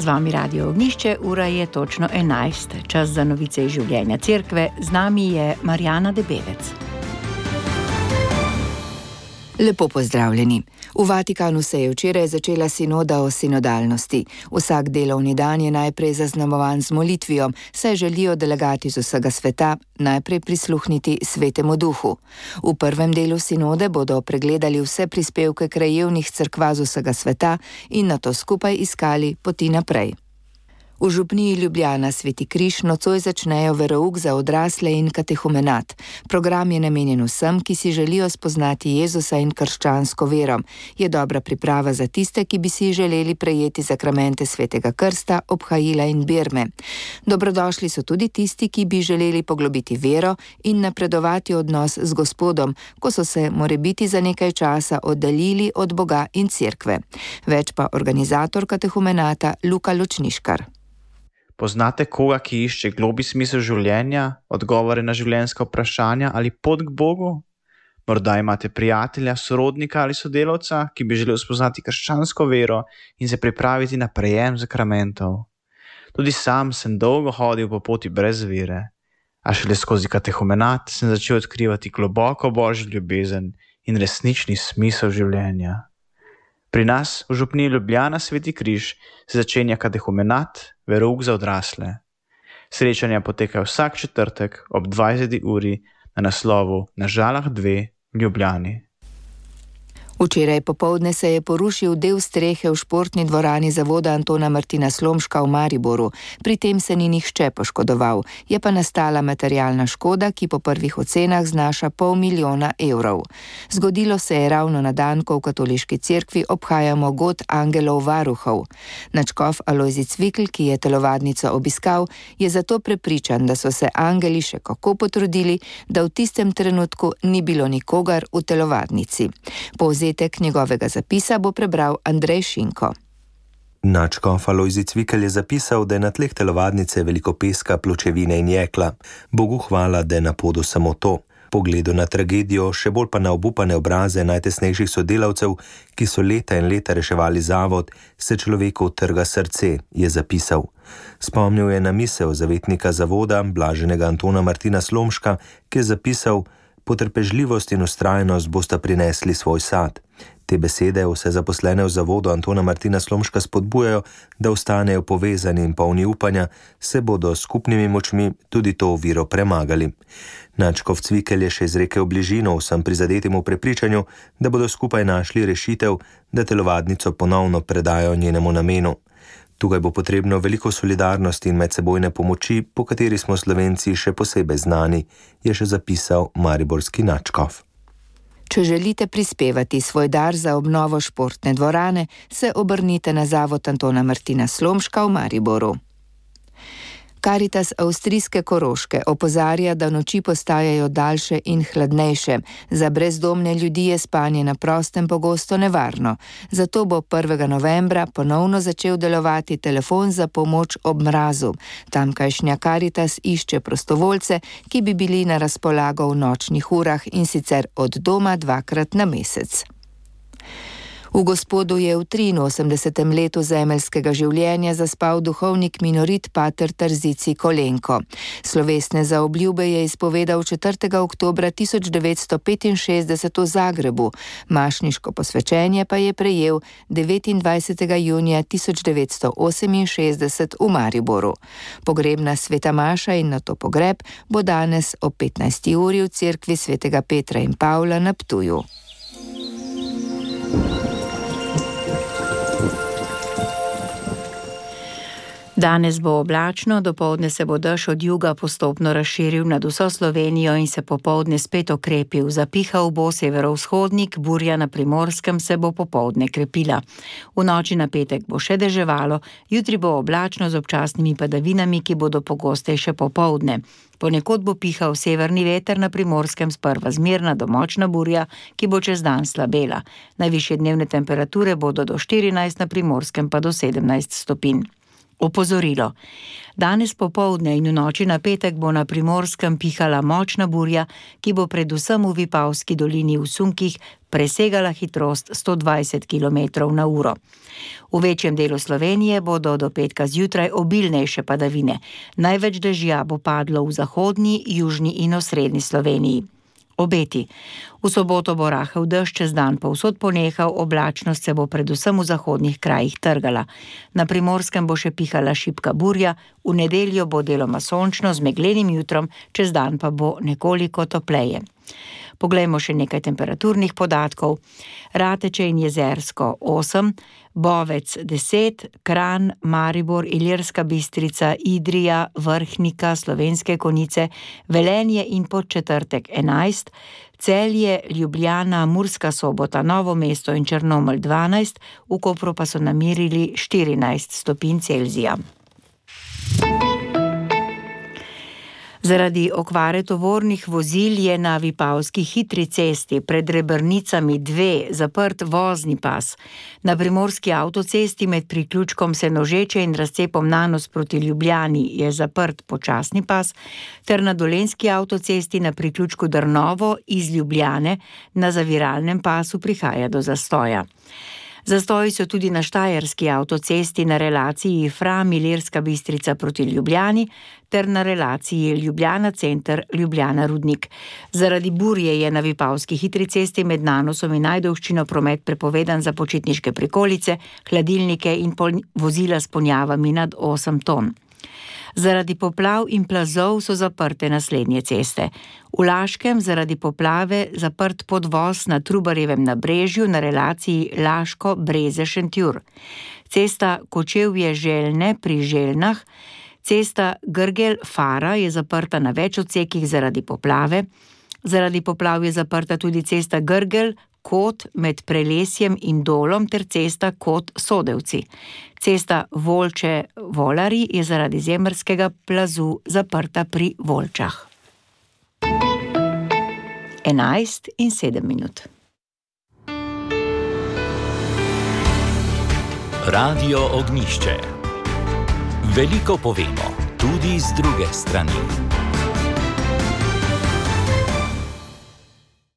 vami Radio Ognjišče, ura je točno 11. Čas za novice iz življenja cerkve. Z nami je Marjana Debevec. Lepo pozdravljeni. V Vatikanu se je včeraj začela sinoda o sinodalnosti. Vsak delovni dan je najprej zaznamovan z molitvijo, saj želijo delegati z vsega sveta najprej prisluhniti Svetemu Duhu. V prvem delu sinode bodo pregledali vse prispevke krajevnih cerkva z vsega sveta in nato skupaj iskali poti naprej. V župniji Ljubljana Sveti Križ nocoj začnejo verouk za odrasle in katehumenat. Program je namenjen vsem, ki si želijo spoznati Jezusa in krščansko vero. Je dobra priprava za tiste, ki bi si želeli prejeti zakramente Svetega krsta, obhajila in birme. Dobrodošli so tudi tisti, ki bi želeli poglobiti vero in napredovati odnos z Gospodom, ko so se morebiti za nekaj časa oddaljili od Boga in cerkve. Več pa organizator katehumenata Luka Ločniškar. Poznate koga, ki išče globlji smisel življenja, odgovore na življenjska vprašanja ali pot k Bogu? Morda imate prijatelja, sorodnika ali sodelavca, ki bi želel spoznati krščansko vero in se pripraviti na prejem zakramentov. Tudi sam sem dolgo hodil po poti brez vere, a šele skozi katehumenat sem začel odkrivati globoko božjo ljubezen in resnični smisel življenja. Pri nas v župniji Ljubljana Sveti Križ se začenja katehumenat, verouk za odrasle. Srečanja potekajo vsak četrtek ob 20. uri na naslovu Na Žalah 2 v Ljubljani. Včeraj popoldne se je porušil del strehe v športni dvorani zavoda Antona Martina Slomška v Mariboru. Pri tem se ni nihče poškodoval. Je pa nastala materialna škoda, ki po prvih ocenah znaša 500 000 evrov. Zgodilo se je ravno na dan, ko v katoliški cerkvi obhajamo god angelov varuhov. Nadškof Alojzij Cvikl, ki je telovadnico obiskal, je zato prepričan, da so se angeli še kako potrudili, da v tistem trenutku ni bilo nikogar v telovadnici. Povzetek njegovega zapisa bo prebral Andrej Šinko. Nadškof Alojzij Cvikl je zapisal, da je na tleh telovadnice veliko peska, pločevine in jekla. Bogu hvala, da je na podu samo to. Pogledu na tragedijo, še bolj pa na obupane obraze najtesnejših sodelavcev, ki so leta in leta reševali zavod, se človeku trga srce, je zapisal. Spomnil je na misel zavetnika zavoda, blaženega Antona Martina Slomška, ki je zapisal: Potrpežljivost in vztrajnost bosta prinesli svoj sad. Te besede vse zaposlene v zavodu Antona Martina Slomška spodbujajo, da ostanejo povezani in polni upanja, se bodo s skupnimi močmi tudi to oviro premagali. Nadškof Cvikl je še izrekel bližino vsem prizadetim v prepričanju, da bodo skupaj našli rešitev, da telovadnico ponovno predajo njenemu namenu. Tukaj bo potrebno veliko solidarnosti in medsebojne pomoči, po kateri smo Slovenci še posebej znani, je še zapisal mariborski nadškof. Če želite prispevati svoj dar za obnovo športne dvorane, se obrnite na zavod Antona Martina Slomška v Mariboru. Karitas avstrijske Koroške opozarja, da noči postajajo daljše in hladnejše. Za brezdomne ljudi je spanje na prostem pogosto nevarno. Zato bo 1. novembra ponovno začel delovati telefon za pomoč ob mrazu. Tamkajšnja Karitas išče prostovoljce, ki bi bili na razpolago v nočnih urah, in sicer od doma 2-krat na mesec. V Gospodu je v 83. letu zemeljskega življenja zaspal duhovnik minorit pater Tarzici Kolenko. Slovesne zaobljube je izpovedal 4. oktobra 1965 v Zagrebu. Mašniško posvečenje pa je prejel 29. junija 1968 v Mariboru. Pogrebna sveta maša in nato pogreb bo danes ob 15. uri v cerkvi svetega Petra in Pavla na Ptuju. Danes bo oblačno, dopoldne se bo dež od juga postopno razširil nad vso Slovenijo in se popoldne spet okrepil. Zapihal bo severovzhodnik, burja na Primorskem se bo popoldne krepila. V noči na petek bo še deževalo, jutri bo oblačno z občasnimi padavinami, ki bodo pogostejše popoldne. Ponekod bo pihal severni veter, na Primorskem sprva zmerna do močna burja, ki bo čez dan slabela. Najvišje dnevne temperature bodo do 14, na Primorskem pa do 17 stopinj. Opozorilo. Danes popoldne in v noči na petek bo na Primorskem pihala močna burja, ki bo predvsem v Vipavski dolini v sunkih presegala hitrost 120 km/h. V večjem delu Slovenije bodo do petka zjutraj obilnejše padavine. Največ dežja bo padlo v zahodni, južni in osrednji Sloveniji. Obeti. V soboto bo rahel dež, čez dan povsod ponehal, oblačnost se bo predvsem v zahodnih krajih trgala. Na Primorskem bo še pihala šibka burja, v nedeljo bo deloma sončno z meglenim jutrom, čez dan pa bo nekoliko topleje. Poglejmo še nekaj temperaturnih podatkov. Rateče in Jezersko 8, Bovec 10, Kranj, Maribor, Ilirska Bistrica, Idrija, Vrhnika, Slovenske Konjice, Velenje in Podčetrtek 11, Celje, Ljubljana, Murska Sobota, Novo mesto in Črnomelj 12, v Kopru pa so namerili 14 stopinj Celzija. Zaradi okvare tovornih vozil je na Vipavski hitri cesti pred Rebrnicami 2 zaprt vozni pas. Na Primorski avtocesti med priključkom Senožeče in razcepom Nanos proti Ljubljani je zaprt počasni pas, ter na Dolenjski avtocesti na priključku Drnovo iz Ljubljane na zaviralnem pasu prihaja do zastoja. Zastoji so tudi na Štajerski avtocesti na relaciji Fram-Ilirska Bistrica proti Ljubljani ter na relaciji Ljubljana center Ljubljana Rudnik. Zaradi burje je na Vipavski hitri cesti med Nanosom in Ajdovščino promet prepovedan za počitniške prikolice, hladilnike in vozila s ponjavami nad 8 ton. Zaradi poplav in plazov so zaprte naslednje ceste. V Laškem zaradi poplave zaprt podvoz na Trubarjevem nabrežju na relaciji Laško-Breze-Šentjur. Cesta Kočevje-Željne pri Željnah, cesta Grgelj-Fara je zaprta na več odsekih zaradi poplave. Zaradi poplav je zaprta tudi cesta Grgelj-Kot med Prelesjem in Dolom ter cesta Kot-Sodevci. Cesta Volče-Volari je zaradi zemeljskega plazu zaprta pri Volčah. 11:07. Radio Ognjišče. Veliko povemo, tudi z druge strani.